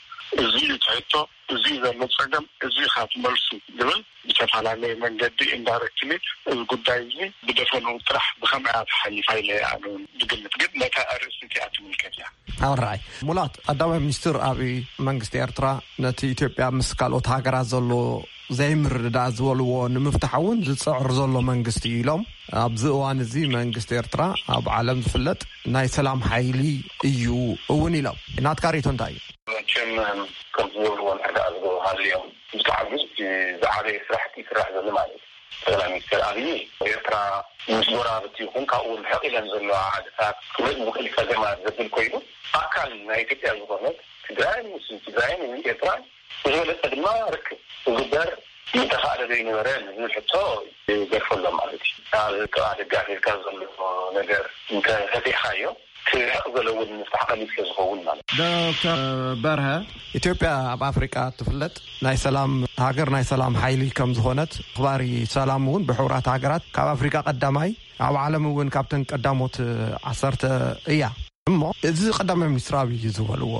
እዚ እዩ ትሕቶ፣ እዚ እዩ ዘሎ ጸገም፣ እዚ ኢኻ ትመልሱ ዝብል ብዝተፈላለየ መንገዲ ኢንዳይሬክትሊ እዚ ጉዳይ እዚ ብደፈንኡ ጥራሕ ብኸምኣ ተሓሊፋ ኢለ ኣነ እውን ዝግምት። ግን ነታ ኣርእስቲ እቲኣ ትምልከት እያ። ኣራይ ሙላት፣ ቀዳማይ ሚኒስትር ኣብይ መንግስቲ ኤርትራ ነቲ ኢትዮጵያ ምስ ካልኦት ሃገራት ዘሎ ዘይምርድዳእ ዝበልዎ ንምፍታሕ እውን ዝጽዕር ዘሎ መንግስቲ እዩ ኢሎም፣ ኣብዚ እዋን እዚ መንግስቲ ኤርትራ ኣብ ዓለም ዝፍለጥ ናይ ሰላም ሓይሊ እዩ እውን ኢሎም። ናትካ ርእይቶ እንታይ እዩ? መቸም ከምቲ ዝበልዎ ንሕዳኣ ዝገበሩ ሃልዮም ብጣዕሚ ዝዓበየ ስራሕቲ ይስራሕ ዘሎ ማለት እዩ። ጠቅላይ ሚኒስትር ኣብይ ኤርትራ ምስ ጎረባብቲ ይኹን ካብኡ ርሕቕ ኢለን ዘለዋ ዓድታት ክመጽእ ዝኽእል ጸገማት ዘብል ኮይኑ ኣካል ናይ ኢትዮጵያ ዝኾነት ትግራይ ምስ ትግራይን እውን ኤርትራን ብዝበለጸ ድማ ርክብ ክግበር ምተኻእለ ዘይነበረ ዝብል ሕቶ ይገድፈሎም ማለት እዩ። ኣብ ጥቓ ደጋፊ ኢልካ ዘሎ ነገር እንተፈቲሕካዮ ክርሕቕ ዘሎ እውን ምፍታሕ ቀሊል ስለ ዝኸውን ማለት እዩ። ዶክተር በርሀ፣ ኢትዮጵያ ኣብ ኣፍሪቃ ትፍለጥ ናይ ሰላም ሃገር፣ ናይ ሰላም ሓይሊ ከም ዝኾነት፣ ኣኽባሪ ሰላም እውን ብሕቡራት ሃገራት ካብ ኣፍሪቃ ቀዳማይ፣ ኣብ ዓለም እውን ካብተን ቀዳሞት ዓሰርተ እያ። እሞ እዚ ቀዳማይ ሚኒስትር ኣብይ ዝበልዎ፣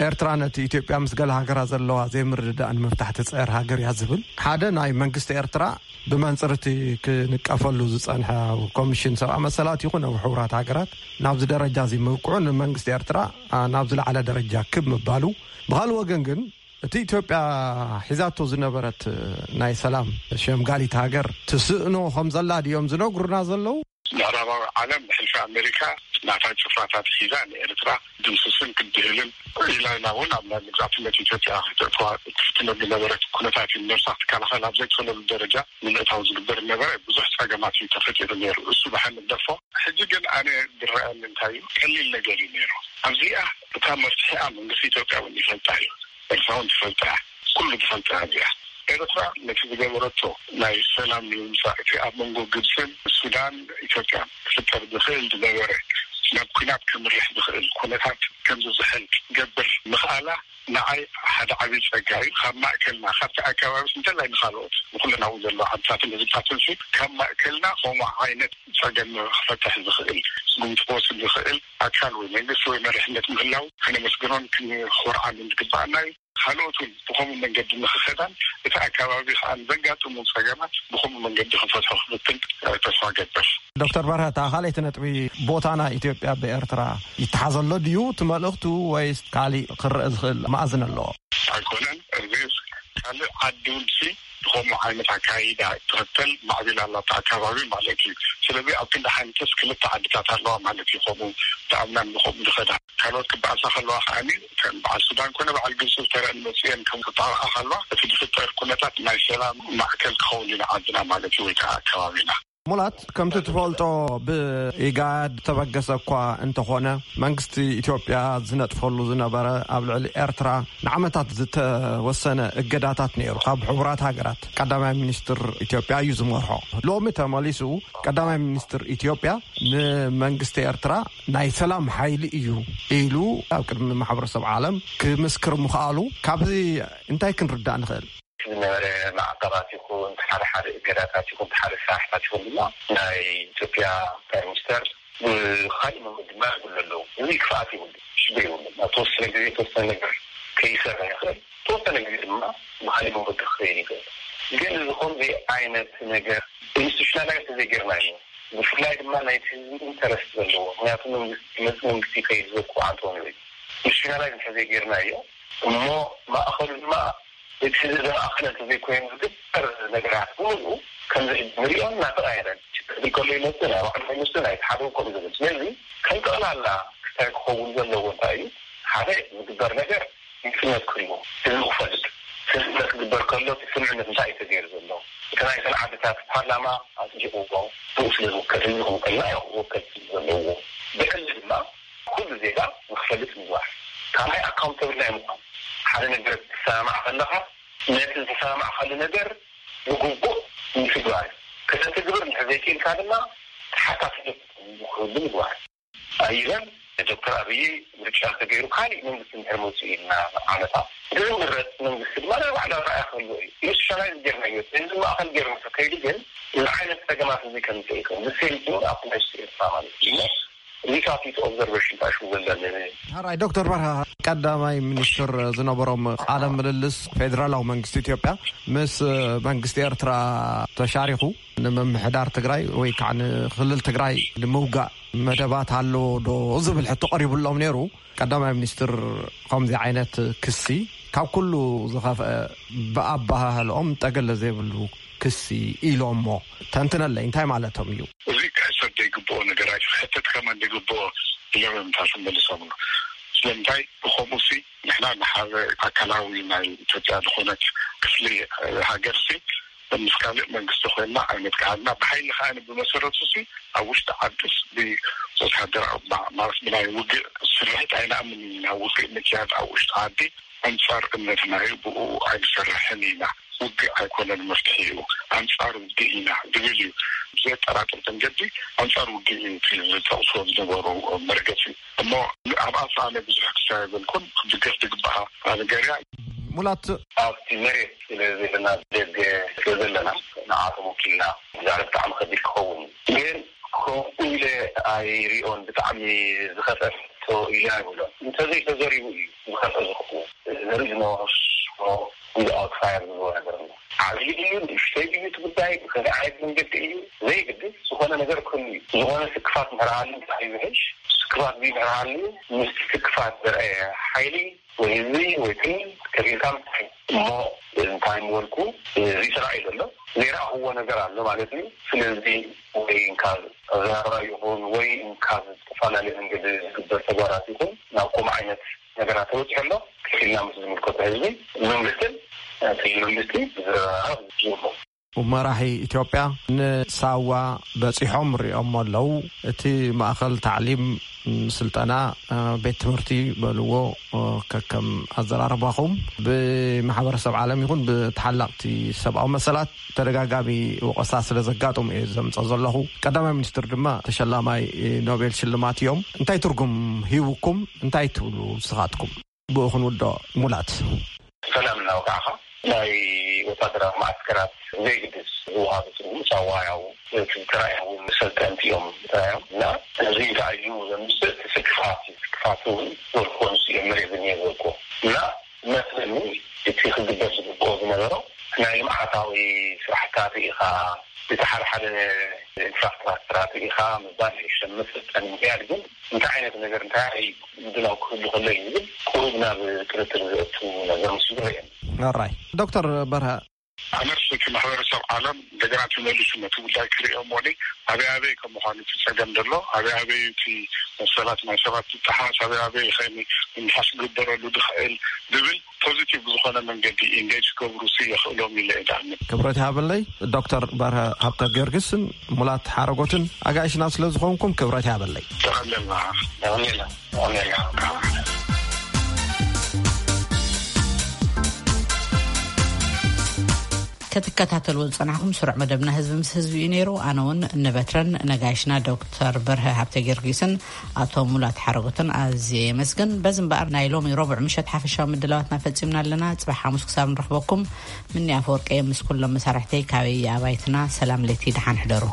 ኤርትራ ነቲ ኢትዮጵያ ምስ ገለ ሃገራት ዘለዋ ዘይምርድዳእ ንምፍታሕ ትጽዕር ሃገር እያ ዝብል፣ ሓደ ናይ መንግስቲ ኤርትራ ብመንጽር እቲ ክንቀፈሉ ዝጸንሐ ኮሚሽን ሰብኣዊ መሰላት ይኹን ኣብ ሕቡራት ሃገራት ናብዚ ደረጃ እዚ ምብቅዑ ንመንግስቲ ኤርትራ፣ ኣ፣ ናብ ዝለዓለ ደረጃ ክብ ምባሉ፣ ብኻልእ ወገን ግን እቲ ኢትዮጵያ ሒዛቶ ዝነበረት ናይ ሰላም ሸምጋሊት ሃገር ትስእኖ ከም ዘላ ድዮም ዝነግሩና ዘለዉ? ምዕራባዊ ዓለም ብሕልፊ ኣሜሪካ ናታ ጭፍራታት ሒዛ ንኤርትራ ድምስስን ክድህልን ኢላ ኢላ እውን ኣብ ናይ መግዛእትነት ኢትዮጵያ ክተእትዋ ትፍትነሉ ዝነበረት ኩነታት እዩ። ነብሳ ክትከላኸል ኣብ ዘይትኽእለሉ ደረጃ ንምእታው ዝግበር ነበረ። ብዙሕ ጸገማት እዩ ተፈጢሩ ነይሩ። እሱ ብሓንደፎ። ሕጂ ግን ኣነ ዝረኣየኒ እንታይ እዩ፣ ቀሊል ነገር እዩ ነይሩ። ኣብዚኣ እታ መፍትሒኣ መንግስቲ ኢትዮጵያ እውን ይፈልጣ እዩ። ኤርትራ እውን ትፈልጣ እያ። ኩሉ ዝፈልጣ እያ እዚኣ። ኤርትራ ነቲ ዝገበረቶ ናይ ሰላም ንምምጻእ እቲ ኣብ መንጎ ግብጽን ሱዳን ኢትዮጵያን ክፍጠር ዝኽእል ዝነበረ ናብ ኲናት ከምርሕ ዝኽእል ኩነታት ከም ዝዝሕል ክትገብር ምኽኣላ ንዓይ ሓደ ዓብዪ ጸጋ እዩ። ካብ ማእከልና ካብቲ ኣከባቢ እንተላይ ንኻልኦት ንኹለን ኣብኡ ዘለዋ ዓድታትን ህዝብታትን ሲ ካብ ማእከልና ከምኡ ዓይነት ጸገም ክፈትሕ ዝኽእል ስጉምቲ ክወስድ ዝኽእል ኣካል ወይ መንግስቲ ወይ መሪሕነት ምህላው ከነመስግኖን ክንኾርዓሉን ዝግባኣና እዩ። ካልኦት እውን ብኸምኡ መንገዲ ንኽኸዳን እቲ ኣከባቢ ከዓ ዘጋጥሙ ጸገማት ብኸምኡ መንገዲ ክፈትሖ ክፍትን ተስፋ ገብር። ዶክተር በርሀ፣ እታ ካልኣይቲ ነጥቢ፣ ቦታ ናይ ኢትዮጵያ ብኤርትራ ይተሓዘሎ ድዩ እቲ መልእኽቱ ወይስ ካሊእ ክረአ ዝኽእል መኣዝን ኣለዎ? ኣይኮነን። እዚ ካልእ ዓዲ እውን ሲ ብኸምኡ ዓይነት ኣካይዳ ትኽተል ማዕቢላ ኣላ ኣብቲ ኣከባቢ ማለት እዩ። ስለዚ ኣብ ክንዲ ሓንትስ ክልተ ዓድታት ኣለዋ ማለት እዩ። ከምኡ ዝኣምናን ብኸምኡ ዝኸዳ ካልኦት ክበኣሳ ከለዋ ከዓኒ ከም በዓል ሱዳን ኮነ በዓል ግብፂ ዝተረአን መፅኤን ከም ክጣቕዓ ከለዋ እቲ ዝፍጠር ኩነታት ናይ ሰላም ማእከል ክኸውን ኢና ዓድና ማለት እዩ ወይ ከዓ ኣከባቢና። ሙላት፣ ከምቲ ትፈልጦ፣ ብኢጋድ ተበገሰ እኳ እንተኾነ፣ መንግስቲ ኢትዮጵያ ዝነጥፈሉ ዝነበረ ኣብ ልዕሊ ኤርትራ ንዓመታት ዝተወሰነ እገዳታት ነይሩ፣ ካብ ሕቡራት ሃገራት። ቀዳማይ ሚኒስትር ኢትዮጵያ እዩ ዝመርሖ። ሎሚ ተመሊሱ ቀዳማይ ሚኒስትር ኢትዮጵያ ንመንግስቲ ኤርትራ ናይ ሰላም ሓይሊ እዩ ኢሉ ኣብ ቅድሚ ማሕበረሰብ ዓለም ክምስክር ምኽኣሉ፣ ካብዚ እንታይ ክንርዳእ ንኽእል? ዝነበረ ማዕቀባት ይኹን፣ ሓደ ሓደ እገዳታት ይኹን፣ ሓደ ስራሕታት ይኹን ድማ ናይ ኢትዮጵያ ፕራይም ሚኒስተር ብኻሊእ መንገዲ ድማ ይብሉ ኣለዉ። እዚ ክፍኣት ይብሉ፣ ሽግር ይብሉ። ኣብ ተወሰነ ግዜ የተወሰነ ነገር ከይሰርሕ ይኽእል፣ ተወሰነ ግዜ ድማ ብኻሊእ መንገዲ ክኸይድ ይኽእል። ግን እዚ ከምዚ ዓይነት ነገር ኢንስቲቱሽናላይዝ ተዘይጌርናዮ፣ ብፍላይ ድማ ናይቲ ህዝቢ ኢንተረስት ዘለዎ፣ ምክንያቱ መንግስቲ መፅ መንግስቲ ከይህዘኩ ኣንቶኒ ኢንስቲቱሽናላይዝ እንተዘይጌርናዮ፣ እሞ ማእኸሉ ድማ እቲ ህዝቢ ዘማእኸለ እንተዘይኮይኑ፣ ዝግበር ነገራት ብምልኡ ከምዚ ሕጂ ንሪኦ እናተቐያየረ፣ ችግር ከሎ ይመፅእ፣ ናይ ባዕሉ ይመፅእ፣ ናይ ሓደ ከምኡ ዝብል። ስለዚ ከም ጠቕላላ ክታይ ክኸውን ዘለዎ እንታይ እዩ? ሓደ ዝግበር ነገር ግልፅነት ክህልዎ፣ ህዝቢ ክፈልጥ፣ ስምምዕነት ክግበር ከሎ እቲ ስምምዕነት እንታይ እዩ ተገይሩ ዘሎ? እቲ ናይ እተን ዓድታት ፓርላማ ኣፅዲቕዎ፣ ብኡ ስለ ዝውከል፣ ህዝቢ ክውከልና እዩ ክወከል ዘለዎ። ብዕሊ ድማ ኩሉ ዜጋ ንክፈልጥ ምግባር። ካልኣይ ኣካውንተብል ናይ ምዃን፣ ሓደ ነገር ክትሰማማዕ ከለኻ ነቲ ዝተሰማማዕካሉ ነገር ብግቡእ ምትግባር እዩ። ከተትግብር እንድሕር ዘይክእልካ ድማ ተሓታትነት ክህሉ ምግባር። ኣይበል ዶክተር ኣብይ ምርጫ ተገይሩ ካሊእ መንግስቲ እንድሕር መፅኡ ኢልና ዓመታ፣ ዝምረፅ መንግስቲ ድማ ናይ ባዕሉ ኣረኣእያ ክህልዎ እዩ። ኢንስቲቱሽናላይዝ ጌርናዮ፣ ህዝቢ ማእኸል ጌርና ተከይዱ ግን እዚ ዓይነት ፀገማት እዚ ከምፅእ ይኽእል። ዝሴም ቲንግ ኣብ ኮንቴክስት ኤርትራ ማለት እዩ። እዚታት እቲ ኦብዘርቬሽን ታሽሙ ዘለና። ሕራይ ዶክተር በርሀ፣ ቀዳማይ ሚኒስትር ዝነበሮም ቃለ ምልልስ፣ ፌዴራላዊ መንግስቲ ኢትዮጵያ ምስ መንግስቲ ኤርትራ ተሻሪኹ ንምምሕዳር ትግራይ ወይ ከዓ ንክልል ትግራይ ንምውጋእ መደባት ኣለዎ ዶ ዝብል ሕቶ ቀሪቡሎም ነይሩ። ቀዳማይ ሚኒስትር ከምዚ ዓይነት ክሲ ካብ ኩሉ ዝኸፍአ፣ ብኣበሃህልኦም ጠገለ ዘይብሉ ክሲ ኢሎሞ። ተንትነለይ፣ እንታይ ማለቶም እዩ? እዚ ክሕሰብ ዘይግብኦ ነገር፣ ኣይትሕተት ከማን ዘይግብኦ ኢሎም እዮም ታሽሙ መሊሶምሉ። ስለምንታይ ብኸምኡ ሲ ንሕና ንሓደ ኣካላዊ ናይ ኢትዮጵያ ዝኾነት ክፍሊ ሃገር ሲ ምስ ካልእ መንግስቲ ኮይንና ኣይነጥቅዓልና። ብሓይሊ ከኣ ብመሰረቱ ሲ ኣብ ውሽጢ ዓድስ ብወታደራዊ ማ-፣ ማለት ብናይ ውግእ ስርሒት ኣይንኣምን ኢና። ውግእ ምክያድ ኣብ ውሽጢ ዓዲ ኣንጻር እምነትና እዩ፣ ብኡ ኣይንሰርሕን ኢና። ውግእ ኣይኮነን መፍትሒኡ፣ ኣንጻር ውግእ ኢና ዝብል እዩ። ብዘየጠራጥር መንገዲ ኣንጻር ውግእ እዩ እቲ ዝጠቕስዎ ዝነበሩ መርገጺ። እሞ ኣብኣ ኣነ ብዙሕ ክሳብ ኣይበልኩን፣ ክድገፍ ዝግብኣ ነገር እያ። ሙላት፣ ኣብቲ መሬት ስለ ዘለና፣ ደገ ስለ ዘለና፣ ንዓቶም ወኪልና ምዛረብ ብጣዕሚ ከቢድ ክኸውን እዩ። ግን ከምኡ ኢለ ኣይሪኦን፣ ብጣዕሚ ዝኸፍአ ሕቶ ኢለ ኣይብሎን። እንተዘይተዘሪቡ እዩ ዝኸፍአ ዝኸውን። There is no without fire ዝብሎ ነገር ኣሎ። ዓብዪ ድዩ ንእሽተይ ድዩ እቲ ጉዳይ፣ ብኸመይ ዓይነት መንገዲ እዩ፣ ዘይግድስ ዝኾነ ነገር ክህሉ እዩ። ዝኾነ ስክፋት እንድሕር ሃልዩ እንታይ ይውሕሽ? ስክፋት ድዩ እንድሕር ሃልዩ፣ ምስቲ ስክፋት ዘርኣየ ሓይሊ ወይ ህዝቢ ወይ ክልል ከፊልካ ምፍታሕ እዩ። እሞ እንታይ ምበልኩ፣ እዚ ተራእዩ ዘሎ ዘይረኣኽዎ ነገር ኣሎ ማለት እዩ። ስለዚ ወይ እንካብ ዛራ ይኹን ወይ እንካብ ዝተፈላለዩ መንገዲ ዝግበር ተግባራት ይኹን ናብ ከምኡ ዓይነት ነገራት ተበፂሑ ኣሎ። ከፊልና ምስ ዝምልከቶ ህዝቢ መንግስትን እቲ መንግስቲ ዝረራረብ ይኹን። መራሒ ኢትዮጵያ ንሳዋ በፂሖም ሪኦሞ ኣለዉ። እቲ ማእኸል ታዕሊም፣ ስልጠና፣ ቤት ትምህርቲ በልዎ፣ ከከም ኣዘራርባኹም ብማሕበረሰብ ዓለም ይኹን ብተሓላቕቲ ሰብኣዊ መሰላት ተደጋጋሚ ወቐሳ ስለ ዘጋጠሙ እየ ዘምፀ ዘለኹ። ቀዳማይ ሚኒስትር ድማ ተሸላማይ ኖቤል ሽልማት እዮም። እንታይ ትርጉም ሂቡኩም? እንታይ ትብሉ ንስኻትኩም? ብኡ ክንውድኦ። ሙላት። ሰላም እናወጋዕኻ ናይ ወታደራዊ ማዕስከራት ዘይግድስ ዝወሃቡ ትርጉም ሳዋ ያው እቲ ተራእያዊ መሰልጠንቲ እዮም ተራእዮም። እና እዚ እንታይ እዩ ዘምስል? እቲ ስክፋት እዩ። ስክፋት እውን ዘልኮ ንሱ እዮም መሬት ዝኒየ ዘልኮ። እና መስለኒ እቲ ክግበር ዝግብኦ ዝነበሮ ናይ ልምዓታዊ ስራሕታት ርኢኻ፣ እቲ ሓደ ሓደ ኢንፍራስትራክቸራት ርኢኻ፣ ምባል ይሸምት መሰልጠኒ ምክያድ ግን እንታይ ዓይነት ነገር እንታይ ምድላው ክህሉ ከሎ እዩ ዝብል ቁሩብ ናብ ጥርጥር ዘእቱ ነገር ምስ ይረአየኒ። ኣራይ ዶክተር በርሀ። ኣነስ እቲ ማሕበረሰብ ዓለም እንደገና ተመሊሱ ነቲ ጉዳይ ክርእዮ እሞኒ ኣበይ ኣበይ ከም ምዃኑ እቲ ጸገም ዘሎ፣ ኣበይ ኣበይ እቲ መሰላት ናይ ሰባት ዝጠሓስ፣ ኣበይ ኣበይ ኸ ምምሓስ ክግበረሉ ዝኽእል ዝብል ፖዚቲቭ ብዝኾነ መንገዲ ኢንጌጅ ክገብሩ ሲ የኽእሎም ኢለ እዳምን። ክብረት ያበለይ። ዶክተር በርሀ ሃብተ ጊዮርጊስን ሙላት ሓረጎትን ኣጋይሽና ስለ ዝኾንኩም ክብረት ያበለይ። ጠቐለልና። ጠቐለልና። ጠቐለልና። ክትከታተልዎ ዝጸናሕኩም ስሩዕ መደብና ህዝቢ ምስ ህዝቢ እዩ ነይሩ። ኣነ እውን ንበትረን ነጋይሽና ዶክተር በርሀ ሃብተ ጊዮርጊስን ኣቶ ሙላት ሓረጎትን ኣዝየ የመስግን። በዚ እምበኣር ናይ ሎሚ ረቡዕ ምሸት ሓፈሻዊ ምድላዋትና ፈጺምና ኣለና። ጽባሕ ሓሙስ ክሳብ ንረኽበኩም፣ ምኒ ኣፈወርቂ ምስ ኩሎም መሳርሕተይ ካበይ ኣባይትና ሰላም ለይቲ፣ ደሓን ሕደሩ።